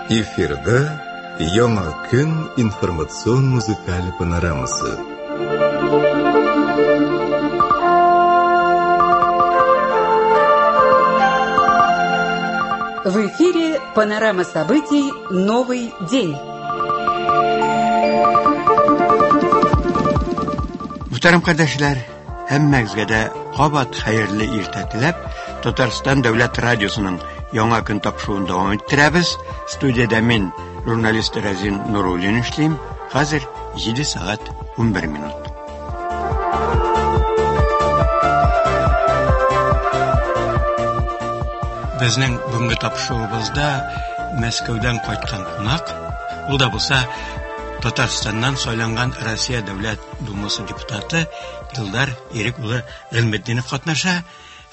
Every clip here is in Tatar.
Эфирда Яңа көн информацион музыкаль панорамасы. В эфире панорама событий «Новый день». Мөхтәрәм кардәшләр, һәммәгезгә дә кабат хәерле иртә теләп, Татарстан дәүләт радиосының Яңа көн тапшыруын дәвам иттерәбез. Студиядә мин, журналист Рәзин Нуруллин эшлим. Хәзер 7 сәгать 11 минут. Безнең бүгенге тапшыруыбызда Мәскәүдән кайткан кунак, ул да булса Татарстаннан сайланган Россия Дәүләт Думасы депутаты Илдар Ирек улы Гыйльметдинов катнаша.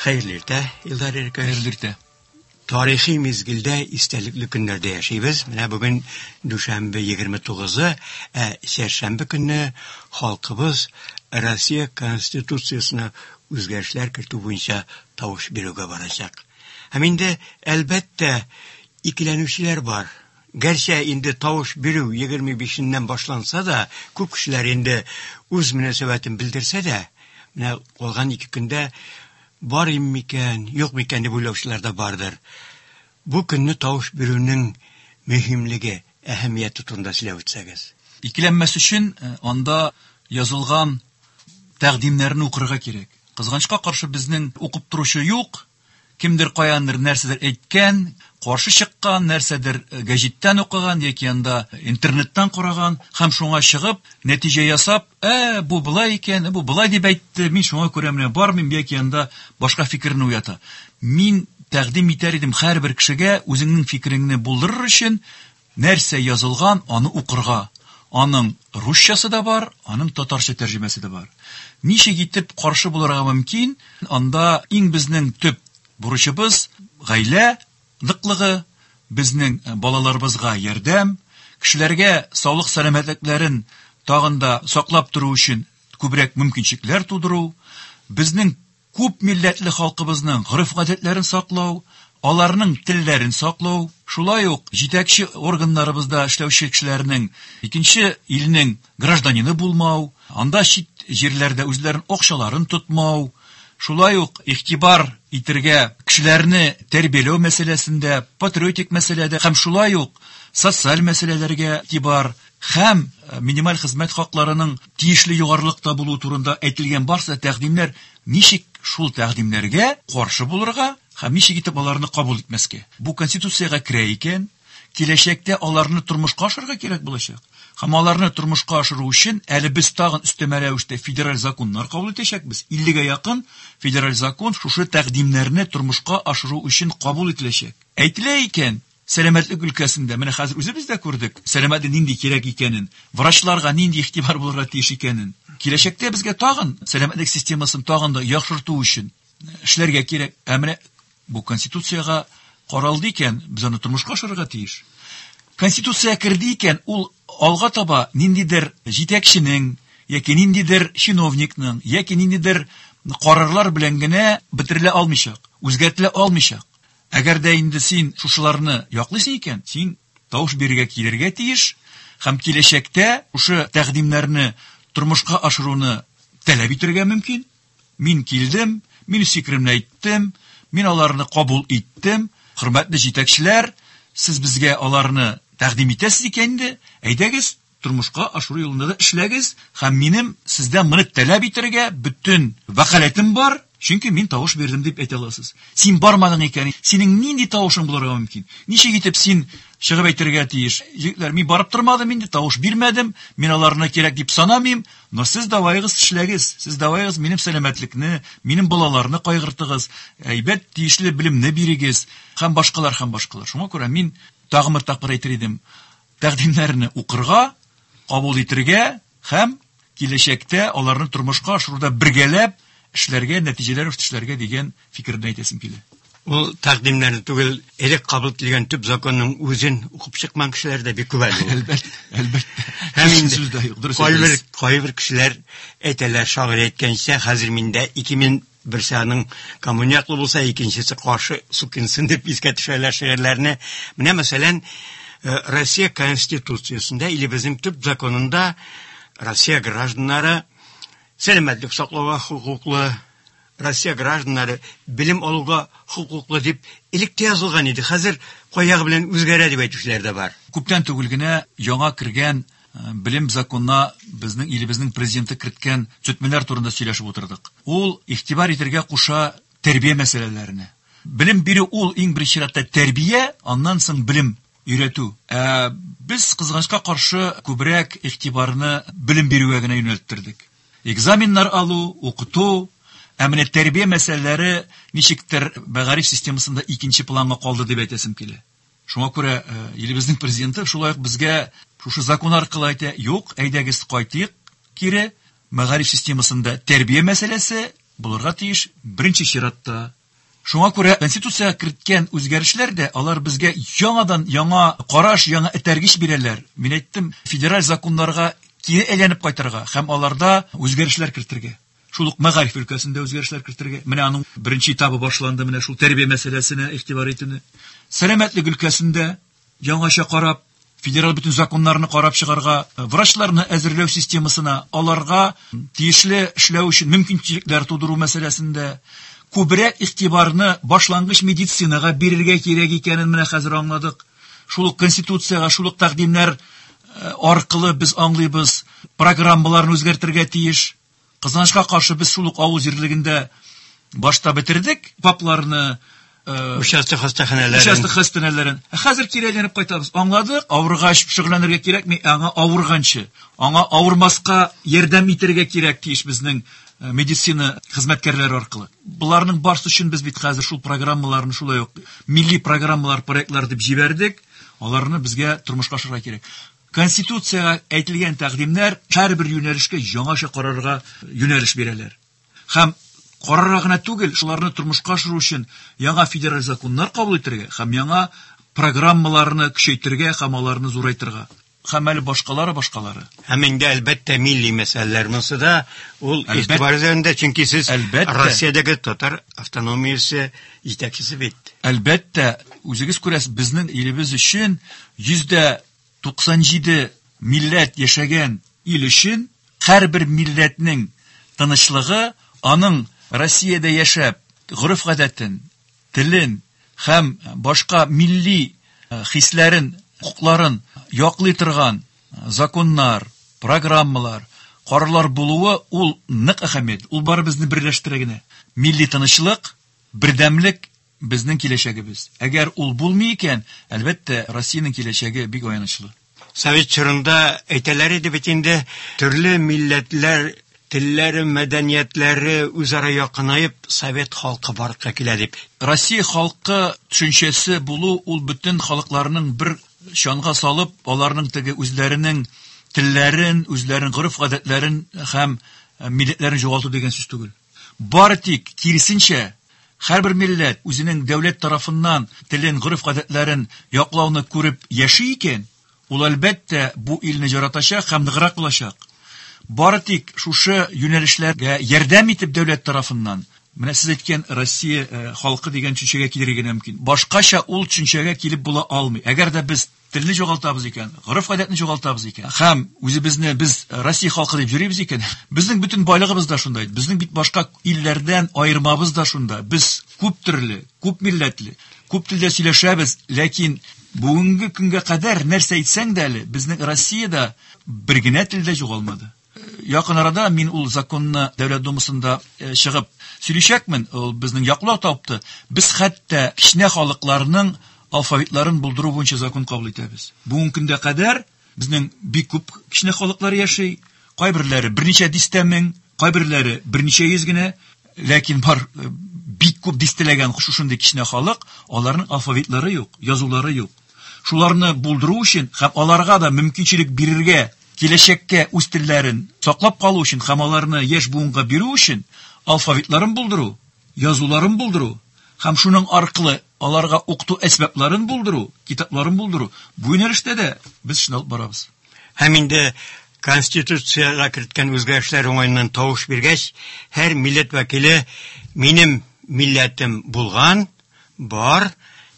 Хәерле иртә, Илдар Ирекович. Хәерле иртә. Тарихи мизгелдә, истәлекле көннәрдә яшибез. Менә бүген дүшәмбе 29-ы, ә чәршәмбе көнне халкыбыз Россия Конституциясенә үзгәрешләр кертү буенча тавыш бирүгә барачак. Һәм инде, әлбәттә, икеләнүчеләр бар. Гәрчә инде тавыш бирү 25-ннән башланса да, күп кешеләр инде үз мөнәсәбәтен белдерсә дә, менә калган ике көндә барыйм микән, юк микән дип уйлаучылар да бардыр. Бу көнне тавыш бирүнең мөһимлеге, әһәмияте турында сөйләп үтсәгез. Икеләнмәс өчен э, анда язылган тәкъдимнәрне укырга кирәк. Кызганычка каршы безнең укып торучы юк. Кемдер каяндыр нәрсәдер әйткән, каршы чыккан, нәрсәдер э, гәҗиттән укыган яки анда интернеттан караган һәм шуңа чыгып, нәтиҗә ясап, ә, бу болай икән, бу болай дип әйтте, мин шуңа күрә менә бармыйм яки анда башка фикерне уята. Мин тәкъдим итәр идем һәрбер кешегә үзеңнең фикереңне булдырыр өчен нәрсә язылган, аны укырга. Аның русчасы да бар, аның татарча тәрҗемәсе дә бар. Ничек итеп каршы булырга мөмкин? Анда иң безнең төп бурычыбыз гаилә ныклыгы, безнең балаларыбызга ярдәм, кешеләргә саулык сәламәтлекләрен тагын да саклап тору өчен күбрәк мөмкинчелекләр тудыру, безнең күп милләтле халкыбызның гореф-гадәтләрен саклау, аларның телләрен саклау, шулай ук җитәкче органнарыбызда эшләүче кешеләрнең икенче илнең гражданины булмау, анда чит җирләрдә үзләрен акчаларын тотмау, шулай ук игътибар итергә кешеләрне тәрбияләү мәсьәләсендә, патриотик мәсьәләдә һәм шулай ук социаль мәсьәләләргә игътибар һәм э, минималь хезмәт хакларының тиешле югарылыкта булуы турында әйтелгән барсы тәкъдимнәр ничек шул тәкъдимнәргә каршы булырга һәм ничек итеп аларны кабул итмәскә? Бу конституциягә керә икән, киләчәктә аларны тормышка ашырырга кирәк булачак. Һәм аларны тормышка ашыру өчен әле без тагын өстәмә рәвештә федераль законнар кабул итәчәкбез. 50-гә якын федераль закон шушы тәкъдимнәрне тормышка ашыру өчен кабул ителәчәк. Әйтелә икән, сәламәтлек өлкәсендә, менә хәзер үзебез дә күрдек, сәламәтлек нинди кирәк икәнен, врачларга нинди игътибар булырга тиеш икәнен. Киләчәктә безгә тагын сәламәтлек системасын тагын да яхшырту өчен эшләргә кирәк. Ә менә бу конституциягә каралды икән, без аны тормышка ашырырга тиеш. Конституция керде икән, ул алга таба ниндидер җитәкченең яки ниндидер чиновникның яки ниндидер карарлар белән генә бетерелә алмыйчак, үзгәртелә алмыйчак. Әгәр дә инде син шушыларны яклыйсың икән, син тавыш бирергә килергә тиеш һәм киләчәктә шушы тәкъдимнәрне тормышка ашыруны таләп итәргә мөмкин. Мин килдем, мин үз фикеремне әйттем, мин аларны кабул иттем. Хөрмәтле җитәкчеләр, сез безгә аларны тәкъдим итәсез икән инде, әйдәгез, тормышка ашыру юлында да эшләгез һәм минем сездән моны таләп итәргә бөтен вәкаләтем бар, чөнки мин тавыш бирдем дип әйтә аласыз. Син бармадың икән, синең нинди тавышың булырга мөмкин? Ничек итеп син чыгып әйтергә тиеш? Егетләр, мин барып тормадым инде, тавыш бирмәдем, мин аларны кирәк дип санамыйм, но сез давайыгыз эшләгез, сез давайыгыз минем сәламәтлекне, минем балаларны кайгыртыгыз, әйбәт тиешле белемне бирегез һәм башкалар һәм башкалар. Шуңа күрә мин тагын бер тапкыр әйтер идем, тәкъдимнәрне укырга, кабул итергә һәм киләчәктә аларны тормышка ашыруда бергәләп эшләргә, нәтиҗәләр эшләргә дигән фикерне әйтәсем килә. Ул тәкъдимнәрне түгел, элек кабул ителгән төп законның үзен укып чыкмаган кешеләр дә бик күп әле. Әлбәттә, әлбәттә. Һәм инде Сүз дә юк, дөрес кайбер әйтәсез. кайбер кешеләр әйтәләр, шагыйрь әйткәнчә, хәзер миндә 2000 берсе аның коммуняклы булса, икенчесе каршы сукинсын дип искә төшәләр шигырьләрне. Менә мәсәлән, Россия Конституциясендә, илебезнең төп законында Россия гражданнары сәламәтлек саклауга хокуклы, Россия гражданнары белем алуга хокуклы дип элек тә язылган иде. Хәзер кай ягы белән үзгәрә дип әйтүчеләр дә бар. Күптән түгел генә яңа кергән белем законына безнең илебезнең президенты керткән төзәтмәләр турында сөйләшеп утырдык. Ул игътибар итәргә куша тәрбия мәсьәләләренә. Белем бирү ул иң беренче чиратта тәрбия, аннан соң белем өйрәтү. Ә без кызганычка каршы күбрәк игътибарны белем бирүгә генә юнәлттердек. Экзаменнар алу, укыту, ә менә тәрбия мәсьәләләре ничектер мәгариф системасында икенче планга калды дип әйтәсем килә. Шуңа күрә илебезнең президенты шулай ук безгә шушы закон аркылы әйтә, юк, әйдәгез кайтыйк кире, мәгариф системасында тәрбия мәсьәләсе булырга тиеш беренче чиратта. Шуңа күрә конституциягә керткән үзгәрешләр дә алар безгә яңадан яңа караш, яңа этәргеч бирәләр. Мин әйттем, федераль законнарга кире әйләнеп кайтырга һәм аларда үзгәрешләр кертергә. Шул ук мәгариф өлкәсендә үзгәрешләр кертергә. Менә аның беренче этабы башланды, менә шул тәрбия мәсьәләсенә игътибар итүне. Сәламәтлек өлкәсендә яңача карап, федераль бөтен законнарны карап чыгарга, врачларны әзерләү системасына, аларга тиешле эшләү өчен мөмкинчелекләр тудыру мәсьәләсендә күбрәк игътибарны башлангыч медицинага бирергә кирәк икәнен менә хәзер аңладык. Шул ук конституциягә, шул ук тәкъдимнәр аркылы без аңлыйбыз, программаларны үзгәртергә тиеш. Кызганычка каршы без шул ук авыл җирлегендә башта бетердек ФАПларны, участок хастаханәләрен. Участок хастаханәләрен. Ә хәзер кире әйләнеп кайтабыз. Аңладык, авыргач шөгыльләнергә кирәкми, аңа авырганчы, аңа авырмаска ярдәм итәргә кирәк тиеш безнең медицина хезмәткәрләре аркылы. Буларның барысы өчен без бит хәзер шул программаларны шулай ук милли программалар, проектлар дип җибәрдек. Аларны безгә тормышка ашырырга кирәк. Конституциягә әйтелгән тәкъдимнәр һәрбер юнәлешкә яңача карарга юнәлеш бирәләр. Һәм карарга гына түгел, шуларны тормышка ашыру өчен яңа федераль законнар кабул итәргә һәм яңа программаларны көчәйтергә һәм аларны зурайтырга. Һәм әле башкалары, башкалары. Һәм инде әлбәттә милли мәсьәләләр монысы да ул игътибар үзәгендә, чөнки сез Россиядәге татар автономиясе җитәкчесе бит. Әлбәттә, үзегез күрәсез, безнең илебез өчен 97% милләт яшәгән ил өчен һәрбер милләтнең тынычлыгы, аның Россиядә яшәп, гореф-гадәтен, телен һәм башка милли хисләрен, хокукларын яклый торган законнар, программалар, карарлар булуы ул нык әһәмият. Ул барыбызны берләштерә генә. Милли тынычлык, бердәмлек безнең киләчәгебез. Әгәр ул булмый икән, әлбәттә, Россиянең киләчәге бик аянычлы. Совет чорында әйтәләр иде бит инде, төрле милләтләр, телләре, мәдәниятләре үзара якынаеп, совет халкы барлыкка килә дип. Россия халкы төшенчәсе булу ул бөтен халыкларның бер чанга салып, аларның теге үзләренең телләрен, үзләренең гореф-гадәтләрен һәм милләтләрен югалту дигән сүз түгел. Бары тик киресенчә, һәрбер милләт үзенең дәүләт тарафыннан телен, гореф-гадәтләрен яклауны күреп яши икән, ул әлбәттә бу илне яратачак һәм ныграк булачак. Бары тик шушы юнәлешләргә ярдәм итеп дәүләт тарафыннан, менә сез әйткән Россия халкы дигән төшенчәгә килергә генә мөмкин. Башкача ул төшенчәгә килеп була алмый. Әгәр дә без телне югалтабыз икән, гореф-гадәтне югалтабыз икән, һәм үзебезне без Россия халкы дип йөрибез икән, безнең бөтен байлыгыбыз да шунда. Безнең бит башка илләрдән аермабыз да шунда. Без күп төрле, күп милләтле, күп телдә сөйләшәбез, ләкин бүгенге көнгә кадәр нәрсә әйтсәң дә әле, безнең Россиядә бер генә тел дә югалмады. Якын арада мин ул законны Дәүләт Думасында чыгып сөйләшәкмен, ул безнең яклау тапты. Без хәтта кечкенә халыкларның алфавитларын булдыру буенча закон кабул итәбез. Бүгенге көндә кадәр безнең бик күп кечкенә халыклар яши, кайберләре берничә дистә мең, кайберләре берничә йөз генә, ләкин бар бик күп дистәләгән шушындый кечкенә халык, аларның алфавитлары юк, язулары юк. Шуларны булдыру өчен һәм аларга да мөмкинчелек бирергә, киләчәккә үз телләрен саклап калу өчен һәм аларны яшь буынга бирү өчен алфавитларын булдыру, язуларын булдыру һәм шуның аркылы аларга укыту әсбапларын булдыру, китапларын булдыру, бу юнәлештә дә без эшне алып барабыз. Һәм инде Конституциягә керткән үзгәрешләр уңаеннан тавыш биргәч, һәр милләт вәкиле минем милләтем булган, бар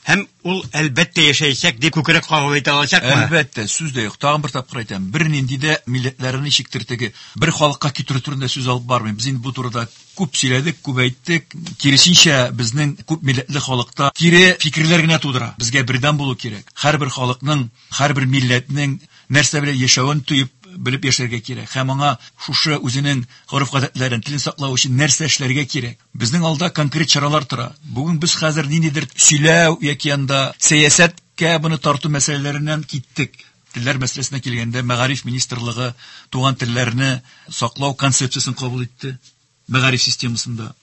Һәм ул әлбәттә яшәячәк дип күкрәк кагып әйтә алачакмы? Әлбәттә, сүз дә юк. Тагын бер тапкыр әйтәм, бернинди дә милләтләрне ничектер теге бер халыкка китерү турында сүз алып бармыйм. Без инде бу турыда күп сөйләдек, күп әйттек. Киресенчә, безнең күп милләтле халыкта кире фикерләр генә тудыра. Безгә бердәм булу кирәк. Һәрбер халыкның, һәрбер милләтнең нәрсә белән яшәвен тоеп, белеп яшәргә кирәк. Һәм аңа шушы үзенең гореф-гадәтләрен, телен саклау өчен нәрсә эшләргә кирәк. Безнең алда конкрет чаралар тора. Бүген без хәзер ниндидер сөйләү яки анда сәясәткә моны тарту мәсьәләләреннән киттек. Телләр мәсьәләсенә килгәндә, Мәгариф министрлыгы туган телләрне саклау концепциясен кабул итте мәгариф системасында.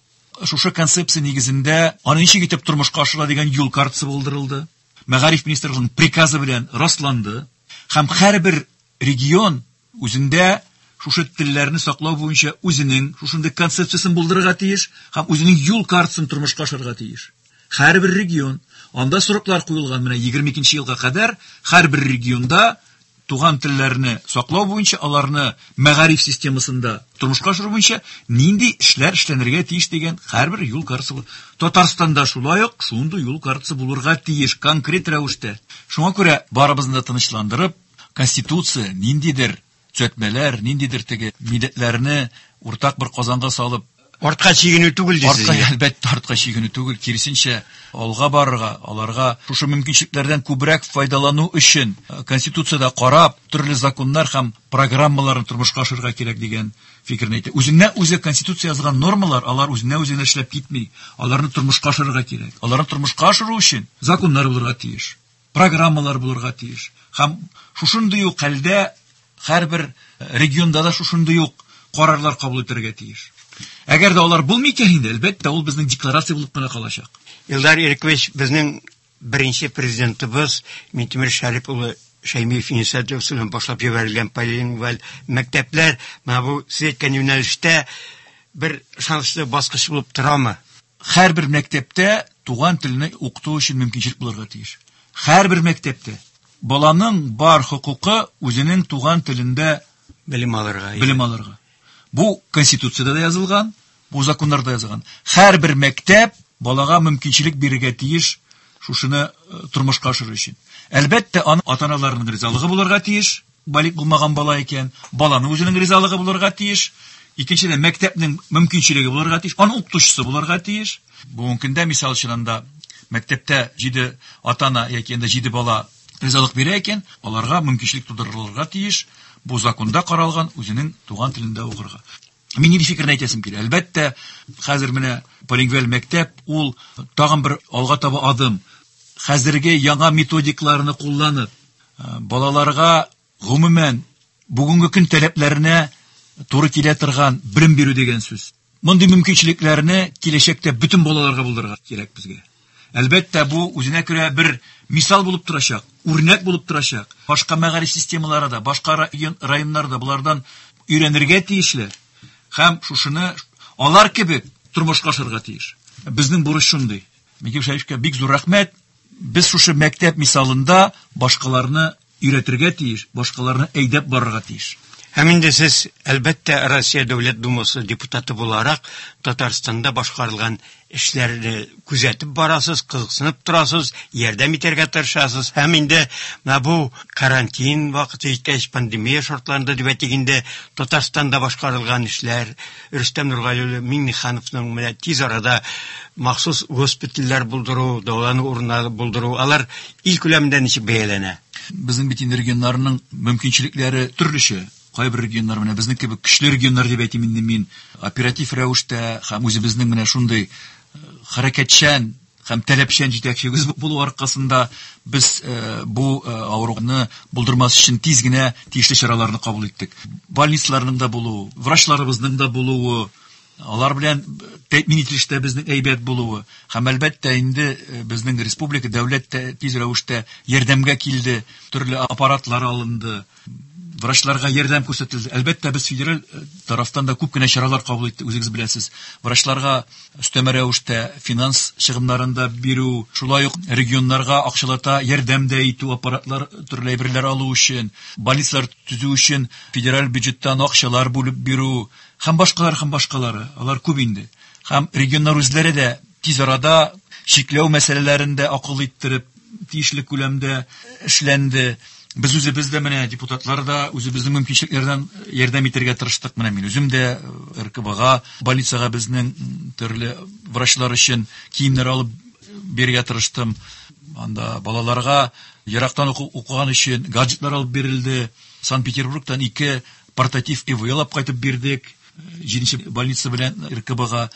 Шушы концепция нигезендә аны ничек итеп тормышка ашыра дигән юл картасы булдырылды. Мәгариф министрлыгының приказы белән расланды. Һәм һәрбер регион үзендә шушы телләрне саклау буенча үзенең шушындый концепциясен булдырырга тиеш һәм үзенең юл картасын тормышка ашырырга тиеш. Һәрбер регион, анда сроклар куелган, менә 22 елга кадәр һәрбер регионда туган телләрне саклау буенча, аларны мәгариф системасында тормышка ашыру буенча нинди эшләр эшләнергә тиеш дигән һәрбер юл картасы була. Татарстанда шулай ук шундый юл картасы булырга тиеш конкрет рәвештә. Шуңа күрә барыбызны да тынычландырып, Конституция ниндидер төзәтмәләр, ниндидер теге милләтләрне уртак бер казанга салып артка чигенү түгел дисез. Артка, әлбәттә, артка чигенү түгел, киресенчә, алга барырга, аларга шушы мөмкинчелекләрдән күбрәк файдалану өчен Конституциядә карап, төрле законнар һәм программаларны тормышка ашырырга кирәк дигән фикерне әйтә. Үзеннән үзе Конституция язган нормалар, алар үзеннән үзе генә эшләп китми. Аларны тормышка ашырырга кирәк. Аларны тормышка ашыру өчен законнар булырга тиеш, программалар булырга тиеш. Һәм шушындый ук хәлдә һәрбер регионда да шушындый ук карарлар кабул итәргә тиеш. Әгәр дә алар булмый икән инде, әлбәттә, ул безнең декларация булып кына калачак. Илдар Ирекович, безнең беренче президентыбыз Минтимер Шәрип улы Шәймиев инициативасы белән башлап җибәрелгән полилингваль мәктәпләр менә бу сез әйткән юнәлештә бер ышанычлы баскыч булып торамы? Һәрбер мәктәптә туган телне укыту өчен мөмкинчелек булырга тиеш. Һәрбер мәктәптә баланың бар хокукы үзенең туган телендә белем алырга. Белем алырга. Бу Конституциядә дә язылган, бу законнарда язылган. Һәрбер мәктәп балага мөмкинчелек бирергә тиеш шушыны тормышка ашыру өчен. Әлбәттә, аның ата-аналарының ризалыгы булырга тиеш, балигъ булмаган бала икән, баланың үзенең ризалыгы булырга тиеш. Икенчедән, мәктәпнең мөмкинчелеге булырга тиеш, аның укытучысы булырга тиеш. Бүгенге көндә, мисал өчен, анда мәктәптә 7 ата-ана яки анда 7 бала ризалык бирә икән, аларга мөмкинчелек тудырылырга тиеш. Бу законда каралган, үзенең туган телендә укырга. Мин нинди фикерне әйтәсем килә? Әлбәттә, хәзер менә полингваль мәктәп ул тагын бер алга таба адым. Хәзерге яңа методикларны кулланып, балаларга гомумән бүгенге көн таләпләренә туры килә торган белем бирү дигән сүз. Мондый мөмкинчелекләрне киләчәктә бөтен балаларга булдырырга кирәк безгә. Әлбәттә, бу үзенә күрә бер мисал булып торачак, үрнәк булып торачак. Башка мәгариф системалары да, башка районнар да булардан өйрәнергә тиешле. Һәм шушыны алар кебек тормышка ашырырга тиеш. Безнең бурыч шундый. Микәл Шәриповка бик зур рәхмәт. Без шушы мәктәп мисалында башкаларны өйрәтергә тиеш, башкаларны әйдәп барырга тиеш. Һәм инде сез, әлбәттә, Россия Дәүләт Думасы депутаты буларак Татарстанда башкарылган эшләрне күзәтеп барасыз, кызыксынып торасыз, ярдәм итәргә тырышасыз. Һәм инде менә бу карантин вакыты җиткәч, пандемия шартларында дип әйтик инде, Татарстанда башкарылган эшләр, Рөстәм Нургали улы Миңнехановның менә тиз арада махсус госпитальләр булдыру, дәвалану урыннары булдыру, алар ил күләмендә ничек бәяләнә? Безнең бит инде регионнарның мөмкинчелекләре төрлечә. Кайбер регионнар менә безнең кебек көчле регионнар дип әйтим инде мин, оператив рәвештә һәм үзебезнең менә шундый хәрәкәтчән һәм таләпчән җитәкчебез булу аркасында без бу авыруны булдырмас өчен тиз генә тиешле чараларны кабул иттек. Больницаларның да булуы, врачларыбызның да булуы, алар белән тәэмин ителештә безнең әйбәт булуы һәм әлбәттә инде безнең республика дәүләт тә тиз рәвештә ярдәмгә килде, төрле аппаратлар алынды, врачларга ярдәм күрсәтелде. Әлбәттә, без федераль тарафтан да күп кенә чаралар кабул иттек, үзегез беләсез. Врачларга өстәмә рәвештә финанс чыгымнарын да бирү, шулай ук регионнарга акчалата ярдәм дә итү, аппаратлар, төрле әйберләр алу өчен, больницалар төзү өчен федераль бюджеттан акчалар бүлеп бирү һәм башкалар, һәм башкалары. Алар күп инде. Һәм регионнар үзләре дә тиз арада Чикләү мәсьәләләрен дә акыл иттереп, тиешле күләмдә эшләнде. Без үзебез дә менә депутатлар да үзебезнең мөмкинчелекләрдән ярдәм итәргә тырыштык. Менә мин үзем дә РКБга, больницага безнең төрле врачлар өчен киемнәр алып бирергә тырыштым. Анда балаларга ерактан укыган өчен гаджетлар алып бирелде. Санкт-Петербургтан 2 портатив ИВЛ алып кайтып бирдек. 7-нче больница белән РКБга.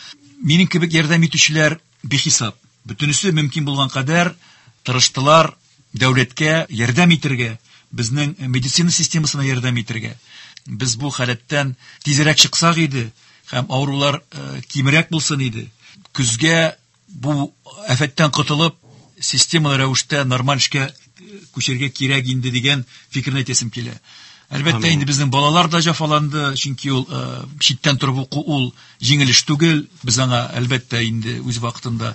Минем кебек ярдәм итүчеләр бихисап. Бөтенесе мөмкин булган кадәр тырыштылар дәүләткә ярдәм итәргә, безнең медицина системасына ярдәм итәргә. Без бу халәттән тизрәк чыксак иде һәм авырулар кимрәк булсын иде. Көзгә бу афәттән котылып, системалы рәвештә нормаль эшкә күчәргә кирәк инде дигән фикерне әйтәсем килә. Әлбәттә, инде безнең балалар да җәфаланды, чөнки ул читтән торып уку ул җиңел эш түгел. Без аңа әлбәттә инде үз вакытында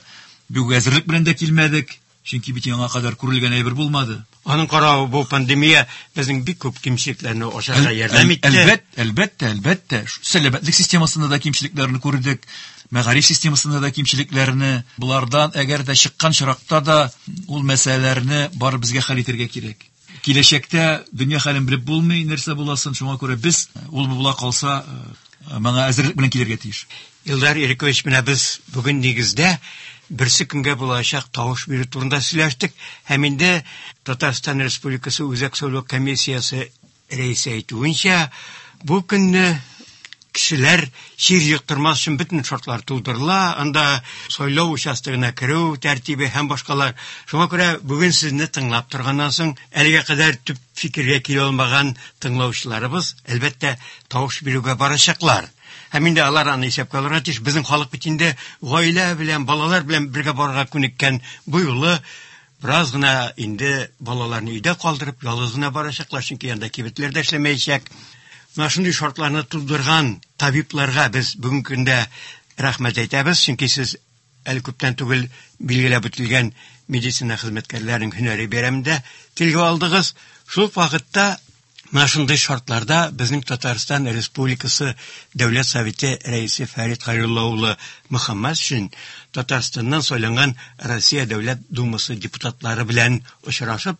бик әзерлек белән дә килмәдек, чөнки бит яңа кадәр күрелгән әйбер булмады. Аның каравы бу пандемия безнең бик күп кимчелекләрне ачарга ярдәм итте. Әлбәттә, әлбәттә. Сәламәтлек системасында да кимчелекләрне күрдек, мәгариф системасында да кимчелекләрне. Булардан әгәр дә чыккан чиракта да ул мәсьәләләрне бары безгә хәл итәргә кирәк. Киләчәктә дөнья хәлен белеп булмый, нәрсә буласын, шуңа күрә без ул була калса, моңа әзерлек белән килергә тиеш. Илдар Ирекович, менә без бүген нигездә берсе көнгә булачак тавыш бирү турында сөйләштек һәм инде Татарстан Республикасы Үзәк сайлау комиссиясе рәисе әйтүенчә, бу көнне кешеләр чир йоктырмас өчен бөтен шартлар тудырыла, анда сайлау участогына керү тәртибе һәм башкалар. Шуңа күрә бүген сезне тыңлап торганнан соң, әлегә кадәр төп фикергә килә алмаган тыңлаучыларыбыз, әлбәттә, тавыш бирүгә барачаклар. Һәм инде алар аны исәпкә алырга тиеш. Безнең халык бит инде гаилә белән, балалар белән бергә барырга күнеккән. Бу юлы бераз гына инде балаларны өйдә калдырып, ялгыз гына барачаклар, чөнки анда кибетләр дә эшләмәячәк. Менә шундый шартларны тудырган табибларга без бүгенге көндә рәхмәт әйтәбез, чөнки сез әле күптән түгел билгеләп үтелгән медицина хезмәткәрләренең һөнәри бәйрәмендә телгә алдыгыз. Шул ук вакытта менә шундый шартларда безнең Татарстан Республикасы Дәүләт Советы рәисе Фәрит Хәйрулла улы Мөхәммәтшин Татарстаннан сайланган Россия Дәүләт Думасы депутатлары белән очрашып,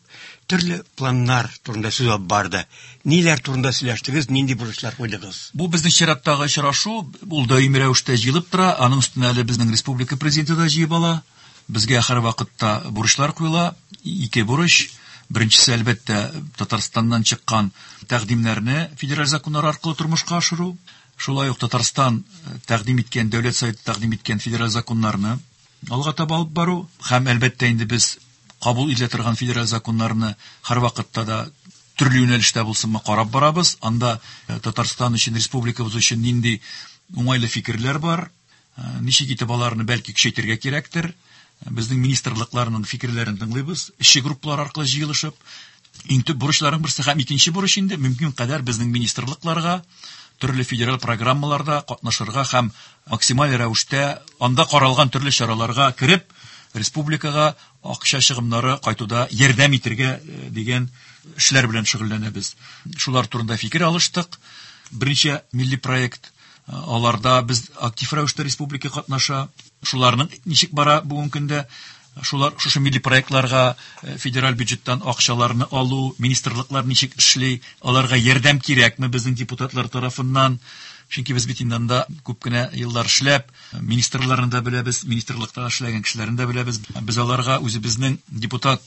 төрле планнар турында сүз алып барды. Ниләр турында сөйләштегез, нинди бурычлар куйдыгыз? Бу безнең чираттагы очрашу, ул даими рәвештә җыелып тора, аның өстенә әле безнең республика президенты да җыеп ала. Безгә һәр вакытта бурычлар куела, ике бурыч. Беренчесе, әлбәттә, Татарстаннан чыккан тәкъдимнәрне федераль законнар аркылы тормышка ашыру. Шулай ук Татарстан тәкъдим иткән, Дәүләт Советы тәкъдим иткән федераль законнарны алга таба алып бару һәм, әлбәттә, инде без кабул ителә торган федераль законнарны һәр вакытта да төрле юнәлештә булсынмы карап барабыз. Анда Татарстан өчен, республикабыз өчен нинди уңайлы фикерләр бар, ничек итеп аларны бәлки көчәйтергә кирәктер. Безнең министрлыкларның фикерләрен тыңлыйбыз, эшче группалар аркылы җыелышып. Иң төп бурычларның берсе һәм икенче бурыч инде мөмкин кадәр безнең министрлыкларга төрле федераль программаларда катнашырга һәм максималь рәвештә анда каралган төрле чараларга кереп, республикага акча чыгымнары кайтуда ярдәм итәргә дигән эшләр белән шөгыльләнәбез. Шулар турында фикер алыштык. Берничә милли проект, аларда без актив рәвештә республика катнаша. Шуларның ничек бара бүгенге көндә? Шулар шушы милли проектларга федераль бюджеттан акчаларны алу, министрлыклар ничек эшли, аларга ярдәм кирәкме безнең депутатлар тарафыннан? Чөнки без бит инде анда күп кенә еллар эшләп, министрларны да беләбез, министрлыкта эшләгән кешеләрне дә беләбез. Без аларга үзебезнең депутат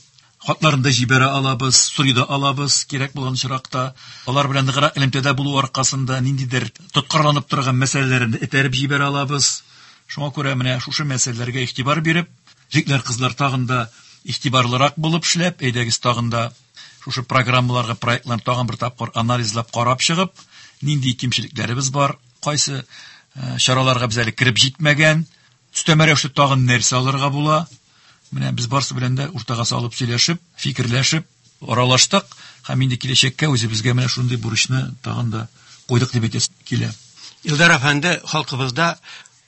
хатларын да җибәрә алабыз, сорый да алабыз, кирәк булган очракта. Алар белән ныграк элемтәдә булу аркасында ниндидер тоткарланып торган мәсьәләләрне этәреп җибәрә алабыз. Шуңа күрә менә шушы мәсьәләләргә игътибар биреп, егетләр, кызлар тагын да игътибарлырак булып эшләп, әйдәгез тагын да шушы программаларга, проектларны тагын бер тапкыр анализлап карап чыгып, нинди кимчелекләребез бар, кайсы чараларга без әле кереп җитмәгән, өстәмә рәвештә тагын нәрсә алырга була. Менә без барсы белән дә уртага салып сөйләшеп, фикерләшеп, аралаштык һәм инде киләчәккә үзебезгә менә шундый бурычны тагын да куйдык дип әйтәсе килә. Илдар әфәнде, халкыбызда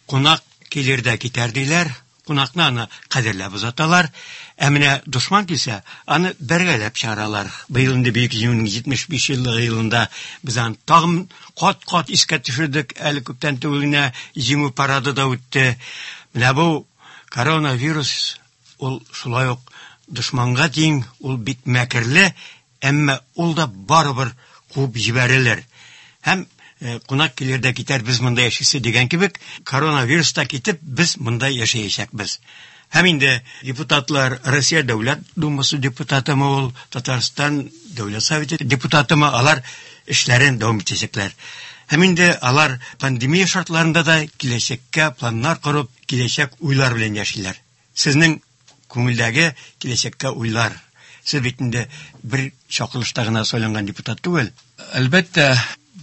кунак килер дә китәр диләр. Кунакны аны кадерләп озаталар. Ә менә дошман килсә, аны бергәләп чыгаралар. Быел инде Бөек Җиңүнең 75 еллыгы елында без аны тагын кат-кат искә төшердек. Әле күптән түгел генә Җиңү парады да үтте. Менә бу Коронавирус ул шулай ук дошманга тиң, ул бик мәкерле, әмма ул да барыбер куып җибәрелер. Һәм кунак килер дә китәр, без монда яшисе дигән кебек, коронавирус та китеп, без монда яшәячәкбез. Һәм инде депутатлар, Россия Дәүләт Думасы депутатымы ул, Татарстан Дәүләт Советы депутатымы, алар эшләрен дәвам итәчәкләр. Һәм инде алар пандемия шартларында да киләчәккә планнар корып, киләчәк уйлар белән яшиләр. Сезнең күңелдәге киләчәккә уйлар. Сез бит инде бер чакырылышта гына сайланган депутат түгел. Әлбәттә,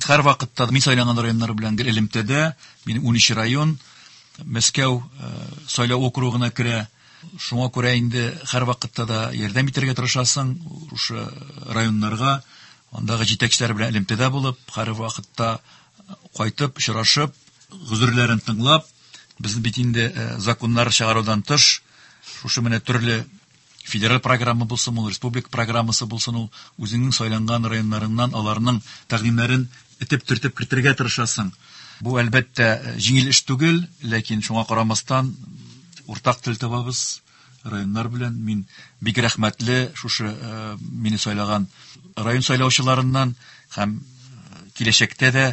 һәр вакытта мин сайланган районнар белән гел элемтәдә. Минем 13 район Мәскәү сайлау округына керә. Шуңа күрә инде һәр вакытта да ярдәм итәргә тырышасың шушы районнарга, андагы җитәкчеләр белән элемтәдә булып, һәр вакытта кайтып, очрашып, гозерләрен тыңлап, без бит инде законнар чыгарудан тыш, шушы менә төрле федераль программа булсын ул, республика программасы булсын ул, үзеңнең сайланган районнарыңнан аларның тәкъдимнәрен этеп-төртеп кертергә тырышасың. Бу, әлбәттә, җиңел эш түгел, ләкин шуңа карамастан уртак тел табабыз районнар белән. Мин бик рәхмәтле шушы мине сайлаган район сайлаучыларыннан һәм киләчәктә дә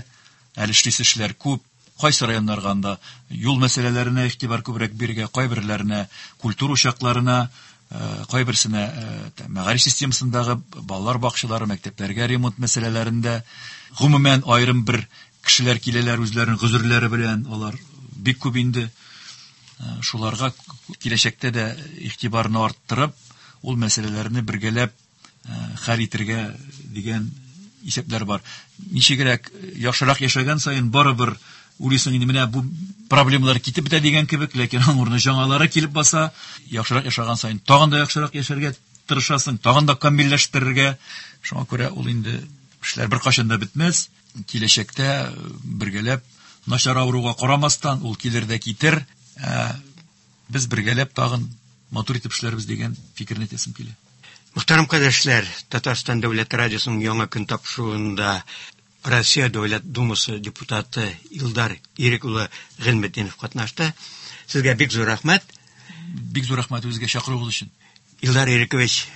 әле эшлисе эшләр күп. Кайсы районнарга анда юл мәсьәләләренә игътибар күбрәк бирергә, кайберләренә культура учакларына, кайберсенә мәгариф системасындагы балалар бакчалары, мәктәпләргә ремонт мәсьәләләрендә, гомумән аерым бер кешеләр киләләр үзләренең гозерләре белән, алар бик күп инде. Шуларга киләчәктә дә игътибарны арттырып, ул мәсьәләләрне бергәләп хәл итергә дигән исәпләр бар. Ничегрәк яхшырак яшәгән саен барыбер уйлыйсың инде, менә бу проблемалар китеп бетә дигән кебек, ләкин аның урынына яңалары килеп баса. Яхшырак яшәгән саен тагын да яхшырак яшәргә тырышасың, тагын да камилләштерергә. Шуңа күрә ул инде эшләр беркайчан да бетмәс. Киләчәктә бергәләп начар авыруга карамастан ул килер дә китер. Без бергәләп тагын матур итеп эшләрбез дигән фикерне әйтәсем килә. Мөхтәрәм кардәшләр, Татарстан Дәүләт радиосының яңа көн тапшыруында Россия Дәүләт Думасы депутаты Илдар Ирек улы Гыйльметдинов катнашты. Сезгә бик зур рәхмәт. Бик зур рәхмәт үзегезгә чакыруыгыз өчен. Илдар Ирекович,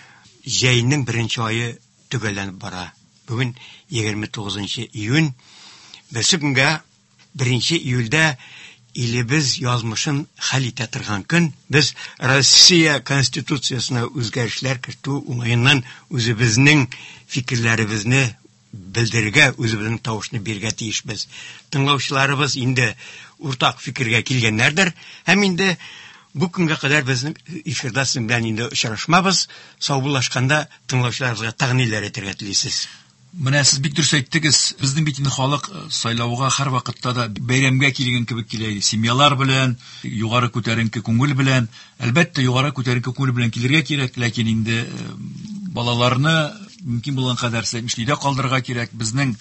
җәйнең беренче ае төгәлләнеп бара. Бүген 29 июнь. Берсе көнгә 1 июльдә илебез язмышын хәл итә торган көн. Без Россия Конституциясенә үзгәрешләр кертү уңаеннан үзебезнең фикерләребезне белдерергә, үзебезнең тавышны бирергә тиешбез. Тыңлаучыларыбыз инде уртак фикергә килгәннәрдер. Һәм инде бу көнгә кадәр безнең эфирда сезнең белән инде очрашмабыз. Саубуллашканда тыңлаучыларыбызга тагын ниләр әйтергә телисез? Менә сез бик дөрес әйттегез. Безнең бит инде халык сайлауга һәр вакытта да бәйрәмгә килгән кебек килә иде. Семьялар белән, югары күтәренке күңел белән. Әлбәттә, югары күтәренке күңел белән килергә кирәк, ләкин инде балаларны мөмкин булган кадәр өйдә калдырырга кирәк. Безнең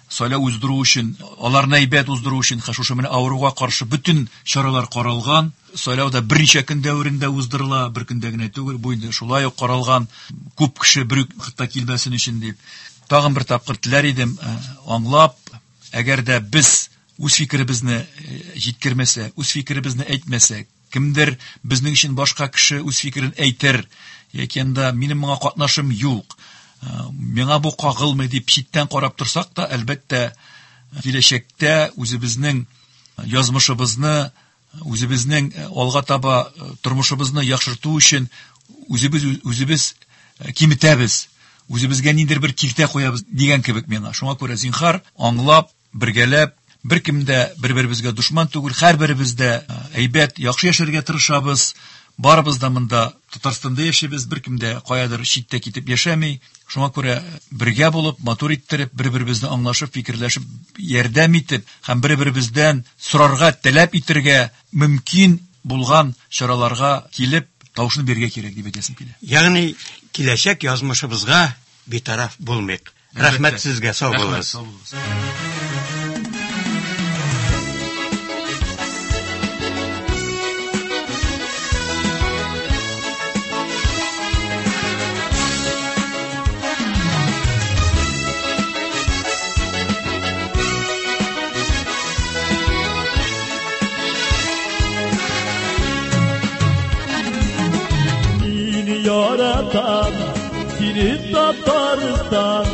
сайлау уздыру өчен, аларны әйбәт уздыру өчен, шушы менә авыруга каршы бөтен чаралар каралган. Сайлау да берничә көн дәверендә уздырыла, бер көндә генә түгел. Бу инде шулай ук каралган, күп кеше бер үк вакытта килмәсен өчен дип. Тагын бер тапкыр теләр идем, аңлап, әгәр дә без үз фикеребезне җиткермәсәк, үз фикеребезне әйтмәсәк, кемдер безнең өчен башка кеше үз фикерен әйтер, яки анда минем моңа катнашым юк, миңа бу кагылмый дип читтән карап торсак та, әлбәттә, киләчәктә үзебезнең язмышыбызны, үзебезнең алга таба тормышыбызны яхшырту өчен үзебез киметәбез. Үзебезгә ниндидер бер киртә куябыз дигән кебек миңа. Шуңа күрә зинһар, аңлап, бергәләп, беркем дә бер-беребезгә дошман түгел, һәрберебез дә әйбәт, яхшы яшәргә тырышабыз. Барыбыз да монда Татарстанда яшибез, беркем дә каядыр читтә китеп яшәми. Шуңа күрә бергә булып, матур иттереп, бер-беребезне аңлашып, фикерләшеп, ярдәм итеп һәм бер-беребездән сорарга, таләп итергә мөмкин булган чараларга килеп, тавышны бирергә кирәк дип әйтәсем килә. Ягъни киләчәк язмышыбызга битараф булмыйк. Рәхмәт сезгә, сау булыгыз. яратам, сине Татарстан,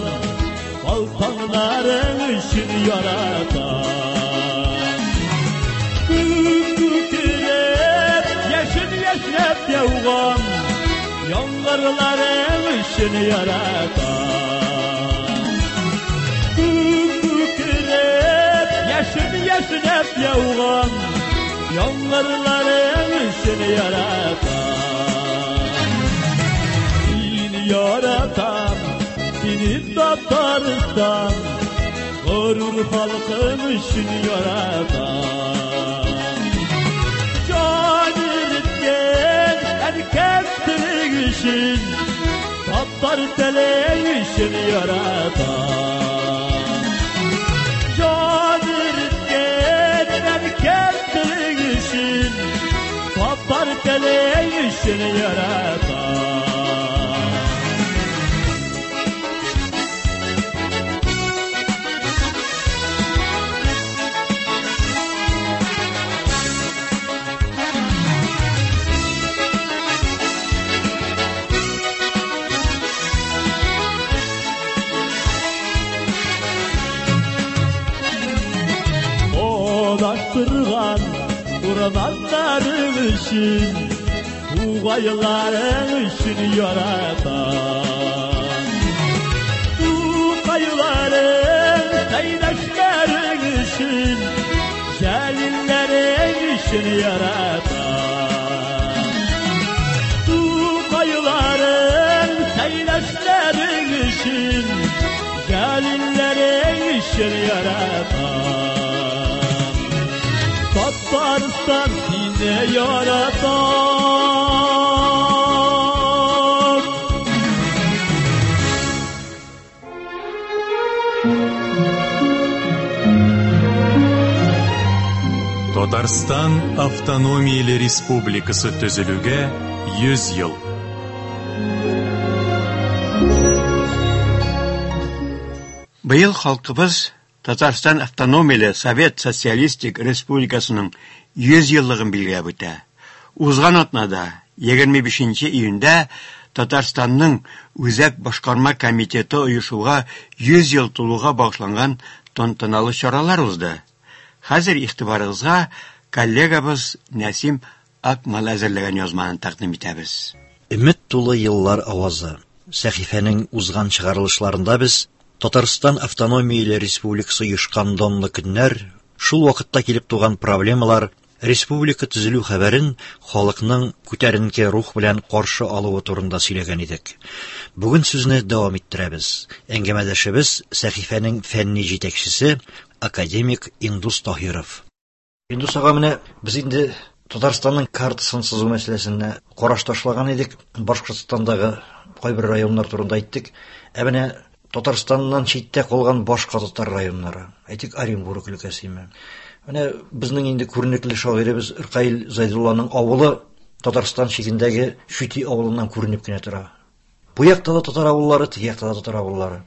Балтаңнарың өчен яратам. Күк күкрәп, яшен яшьнәп яуган яңгырларың өчен яратам. Күк күкрәп, яшен яшьнәп яуган яңгырларың өчен яратам. Сине яратам, сине Татарстан, горур халкым өчен яратам. Җан иреткән әнкәм телең өчен, татар телең өчен яратам. Җан иреткән әнкәм телең өчен, татар телең өчен яратам. Адаштырган урманнарың өчен, тугайларың өчен яратам. Тугайларың, Сәйдәшләрең өчен, Җәлилләрең өчен яратам. Тугайларың, Сәйдәшләрең өчен, Җәлилләрең өчен яратам. Татарстан сине яратам. Татарстан автономияле республикасы төзелүгә 100 ел. Быел халкыбыз Татарстан автономияле Совет Социалистик Республикасының 100 еллыгын билгеләп үтә. Узган атнада, 25 июньдә Татарстанның Үзәк башкарма комитеты оешуга 100 ел тулуга багышланган тантаналы чаралар узды. Хәзер игътибарыгызга коллегабыз Нәсим Акмал әзерләгән язманы тәкъдим итәбез. Өмет тулы еллар авазы. Сәхифәнең узган чыгарылышларында без Татарстан автономияле республикасы оешкан данлы көннәр, шул вакытта килеп туган проблемалар, республика төзелү хәбәрен халыкның күтәренке рух белән каршы алуы турында сөйләгән идек. Бүген сүзне дәвам иттерәбез. Әңгәмәдәшебез сәхифәнең фәнни җитәкчесе, академик Индус Таһиров. Индус ага, менә без инде Татарстанның картасын сызу мәсьәләсенә караш ташлаган идек. Башкортстандагы кайбер районнар турында әйттек. Ә менә Татарстаннан читтә калган башка татар районнары, әйтик, Оренбург өлкәсеме. Менә безнең инде күренекле шагыйребез Ркаил Зайдулланың авылы Татарстан чигендәге Чүти авылыннан күренеп кенә тора. Бу якта да татар авыллары, теге якта да татар авыллары.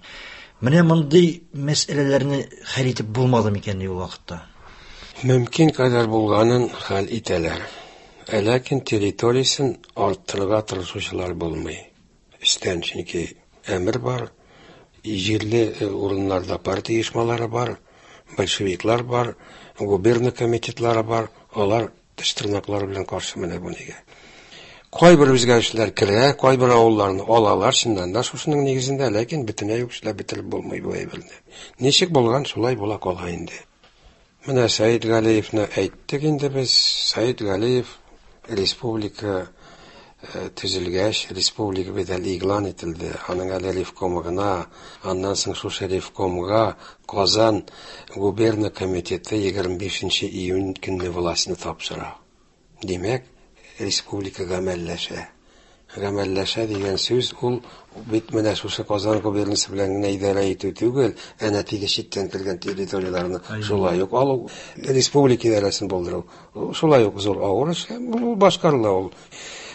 Менә мондый мәсьәләләрне хәл итеп булмады микән ул вакытта? Мөмкин кадәр булганын хәл итәләр. Ә ләкин территориясен арттырырга тырышучылар булмый. Өстән чөнки әмер бар, җирле урыннарда партия оешмалары бар, большевиклар бар, губерна комитетлары бар, алар теш тырнаклары белән каршы менә бу нигә. Кайбер үзгәрешләр керә, кайбер авылларны алалар, чыннан да шушының нигезендә, ләкин бөтенләй үк эшләп бетереп булмый бу әйберне. Ничек булган, шулай була кала инде. Менә Сәид Галиевны әйттек инде без. Сәид Галиев республика төзелгәч, республика бит әле игълан ителде. Аның әле ревкомы гына, аннан соң шушы ревкомга Казан губерна комитеты 25 июнь көнне властьны тапшыра. Димәк, республика гамәлләшә. Гамәлләшә дигән сүз ул бит менә шушы Казан губернасы белән генә идарә итү түгел, әнә теге читтән килгән территорияләрне шулай ук алу, республика идарәсен булдыру. Шулай ук зур авыр эш, ул башкарыла ул.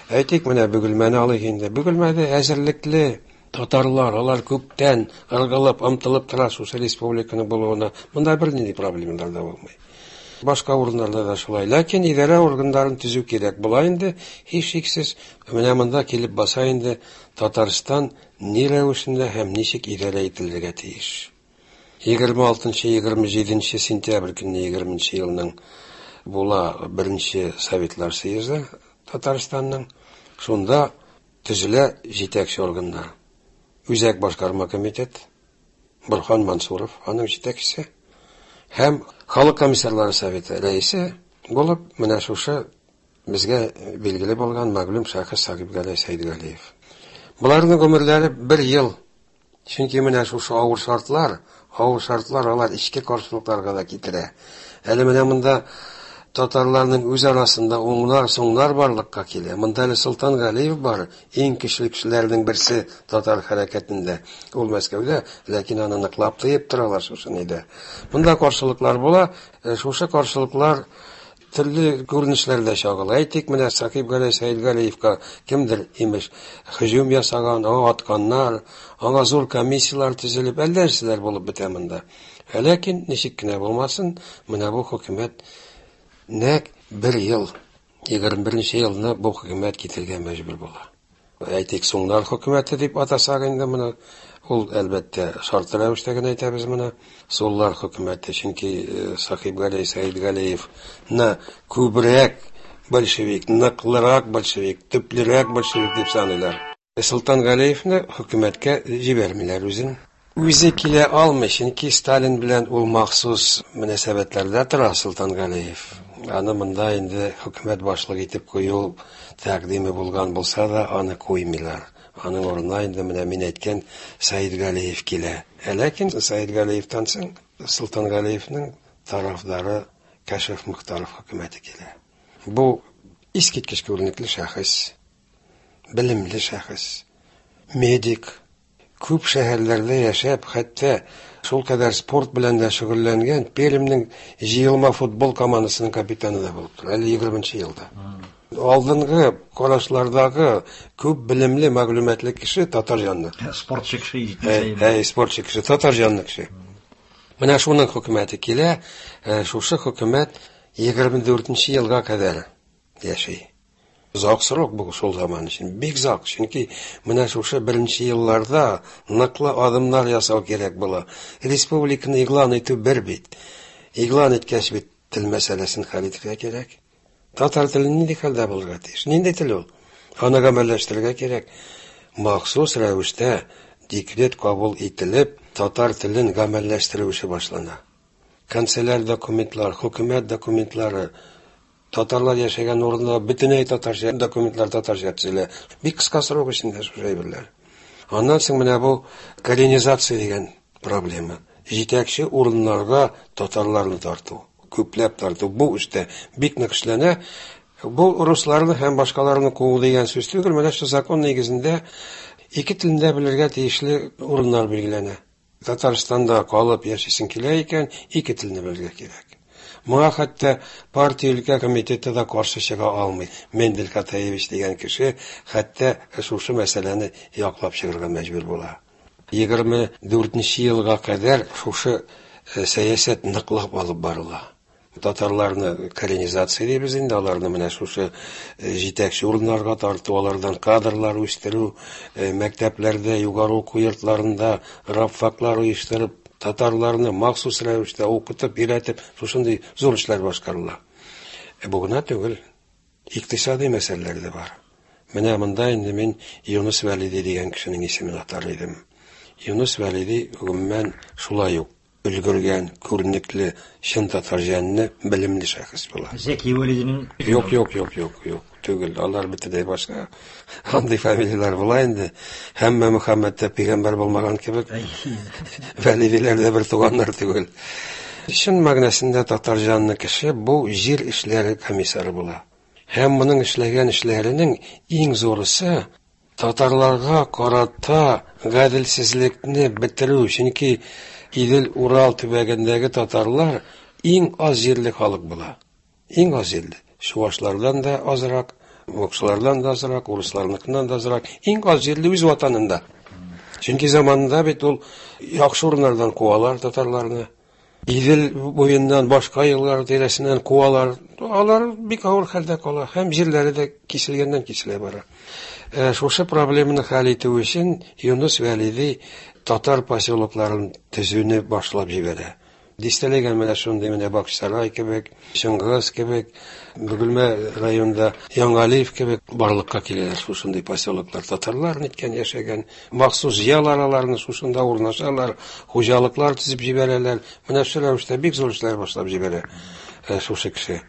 Әйтик, менә Бөгелмәне алыйк инде. Бөгелмәдә әзерлекле татарлар, алар күптән ыргылып, омтылып тора шушы республиканың булуына. Монда бернинди проблемалар да булмый. Башка урыннарда да шулай. Ләкин идарә органнарын төзү кирәк була инде, һичшиксез. Менә монда килеп баса инде Татарстан ни рәвешендә һәм ничек идарә ителергә тиеш. 26-27 сентябрь көнне 20 елның була беренче Советлар съезды Татарстанның. Шунда төзелә җитәкче органнар. Үзәк башкарма комитет, Борхан Мансуров аның җитәкчесе һәм Халык комиссарлары советы рәисе булып менә шушы безгә билгеле булган мәгълүм шәхес Сагибгаләй Сәйдгалиев. Боларның гомерләре бер ел. Чөнки менә шушы авыр шартлар, авыр шартлар алар эчке каршылыкларга да китерә. Әле менә монда татарларның үз арасында уңнар, соңнар барлыкка килә. Монда әле Солтан Галиев бар, иң көчле кешеләрнең берсе татар хәрәкәтендә. Ул Мәскәүдә, ләкин аны ныклап тыеп торалар шушы нидә. Монда каршылыклар була. Шушы каршылыклар төрле күренешләрдә чагыла. Әйтик, менә Сакип Галәй Сәйдгалиевка кемдер имеш һөҗүм ясаган, аңа атканнар, аңа зур комиссияләр төзелеп, әллә нәрсәләр булып бетә монда. Ләкин ничек кенә булмасын, менә бу хөкүмәт нәкъ бер ел, 21 елны бу хөкүмәт китергә мәҗбүр була. Әйтик, Суңнар хөкүмәте дип атасак инде моны, ул әлбәттә шартлы рәвештә генә әйтәбез моны. Суллар хөкүмәте, чөнки Сахиб Галәй Сәйдгалиевны күбрәк большевик, ныклырак большевик, төплерәк большевик дип саныйлар. Солтан Галиевны хөкүмәткә җибәрмиләр үзен. Үзе килә алмый, чөнки Сталин белән ул махсус мөнәсәбәтләрдә тора Солтан Галиев. Аны монда инде хөкүмәт башлыгы итеп кую тәкъдиме булган булса да, аны куймыйлар. Аның урынына инде менә мин әйткән Сәид Галиев килә. Ләкин Сәид Галиевтан соң Солтан Галиевның тарафдары Кәшиф Мөхтәров хөкүмәте килә. Бу искиткеч күренекле шәхес, белемле шәхес, медик, күп шәһәрләрдә яшәп, хәтта шул кадәр спорт белән дә шөгыльләнгән Пермьнең җыелма футбол командасының капитаны да булып тора, әле 20 елда. Алдынгы карашлардагы күп белемле, мәгълүматлы кеше татар җанлы. Спортчы кеше җитмәсә. Әй, спортчы кеше, татар җанлы кеше. Менә шуның хөкүмәте килә, шушы хөкүмәт 24 елга кадәр яши. Озак срок бу шул заман өчен, бик озак, чөнки менә шушы беренче елларда ныклы адымнар ясау кирәк була. Республиканы игълан итү бер бит. Игълан иткәч бит тел мәсьәләсен хәл итәргә кирәк. Татар теле нинди хәлдә булырга тиеш? Нинди тел ул? Аны гамәлләштерергә кирәк. Махсус рәвештә декрет кабул ителеп, татар телен гамәлләштерү эше башлана. Канцеляр документлар, хөкүмәт документлары, татарлар яшәгән урында бөтенләй татарча документлар татарча төзелә. Бик кыска срок эчендә шушы әйберләр. Аннан соң менә бу коренизация дигән проблема. Җитәкче урыннарга татарларны тарту, күпләп тарту. Бу эштә бик нык эшләнә. Бу русларны һәм башкаларны куу дигән сүз түгел. Менә шул закон нигезендә ике телендә белергә тиешле урыннар билгеләнә. Татарстанда калып яшисең килә икән, ике телне белергә кирәк. Моңа хәтта партия өлкә комитеты да каршы чыга алмый. Мендель Катаевич дигән кеше хәтта шушы мәсьәләне яклап чыгарга мәҗбүр була. 24 елга кадәр шушы сәясәт ныклап алып барыла. Татарларны коренизация дибез инде, аларны менә шушы җитәкче урыннарга тарту, алардан кадрлар үстерү, мәктәпләрдә, югары уку йортларында рабфаклар оештырып, татарларны махсус рәвештә укытып, өйрәтеп, шушындый зур эшләр башкарыла. Бу гына түгел, икътисади мәсьәләләр дә бар. Менә монда инде мин Юныс Вәлиди дигән кешенең исемен атар идем. Юныс Вәлиди гомумән шулай ук өлгергән, күренекле, чын татар җанлы, белемле шәхес була. Зәки Вәлидинең Юк, юк, юк, юк, юк, түгел. Алар бөтенләй башка. Андый фамилияләр була инде. Һәммә Мөхәммәд тә пәйгамбәр булмаган кебек. Вәлидиләр дә бер туганнар түгел. Чын мәгънәсендә татар җанлы кеше бу җир эшләре комиссары була. Һәм моның эшләгән эшләренең иң зурысы татарларга карата гаделсезлекне бетерү, чөнки Идел-Урал төбәгендәге татарлар иң аз җирле халык була. Иң аз җирле. Чувашлардан да азрак, мокшылардан да азрак, урысларныкыннан да азрак. Иң аз җирле үз ватанында. Чөнки заманында бит ул яхшы урыннардан куалар татарларны. Идел буеннан башка еллар тирәсеннән куалар. Алар бик авыр хәлдә кала һәм җирләре дә киселгәннән киселә бара. Шушы проблеманы хәл итү өчен Юныс Вәлиди татар поселокларын төзүне башлап җибәрә. Дистәләгән менә шундый менә Бакчасарай кебек, Чыңгыз кебек, Бөгелмә районында Яңалиев кебек барлыкка киләләр шушындый поселоклар. Татарлар ниткән яшәгән, махсус җыялар аларны, шушында урнашалар, хуҗалыклар төзеп җибәрәләр. Менә шул рәвештә бик зур эшләр башлап җибәрә шушы кеше.